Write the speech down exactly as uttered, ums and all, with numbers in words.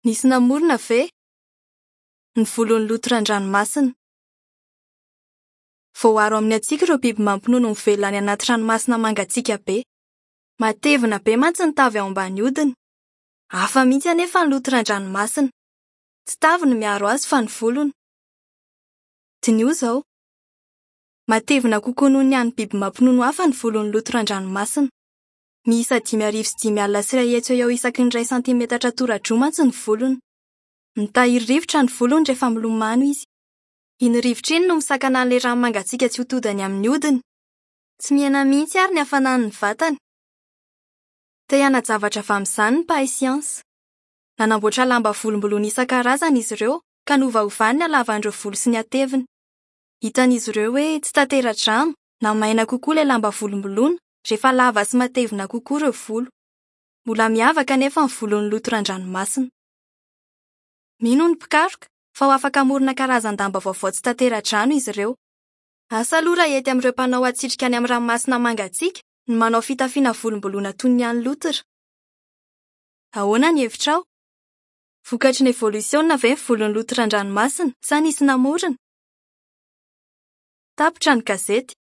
Nisy namorona ve? Ny volon'ny lotran-dranomasina. Voaaro amin'ny hatsiaka ireo biby mampinono mivelona any anaty ranomasina mangatsiaka be. Matevina be mantsy ny tavy ao ambany hodiny. Hafa mihitsy anefa ny lotran-dranomasina. Tsy tavy no miaro azy fa ny volony. Diniho izao. Matevina kokoa noho ny an'ny biby mampinono hafa ny volon'ny lotran-dranomasina. Miisa dimy arivo sy dimy alina sy iray hetsy eo eo isaky ny iray santimetatra tora-droa mantsy ny volony. Mitahiry rivotra ny volony rehefa milomano izy. Iny rivotra iny no misakana an'ilay rano mangatsiaka tsy ho todany amin'ny hodiny. Tsy mihena mihitsy ary ny hafanan'ny vatany. Te hiana-javatra avy amin'izany ny mpahay siansa. Nanamboatra lamba volomboloina isan-karazany izy ireo ka novaovany ny halavan'ireo volo sy ny hateviny. Hitan'izy ireo hoe tsy tantera-drano na maina kokoa ilay lamba volomboloina rehefa lava sy matevina kokoa ireo volo. Mbola miavaka anefa ny volon'ny lotran-dranomasina. Mino ny mpikaroka fa ho afaka hamorona karazan-damba vaovao tsy tantera-drano izy ireo. Asa aloha raha hety amin'ireo mpanao hatsitrika any amin'ny ranomasina mangatsiaka ny manao fitafiana volomboloina toy ny an'ny lotra. Ahoana ny hevitrao? Vokatry ny evolisiona ve ny volon'ny lotran-dranomasina sa nisy namorona? Tapitra ny gazety.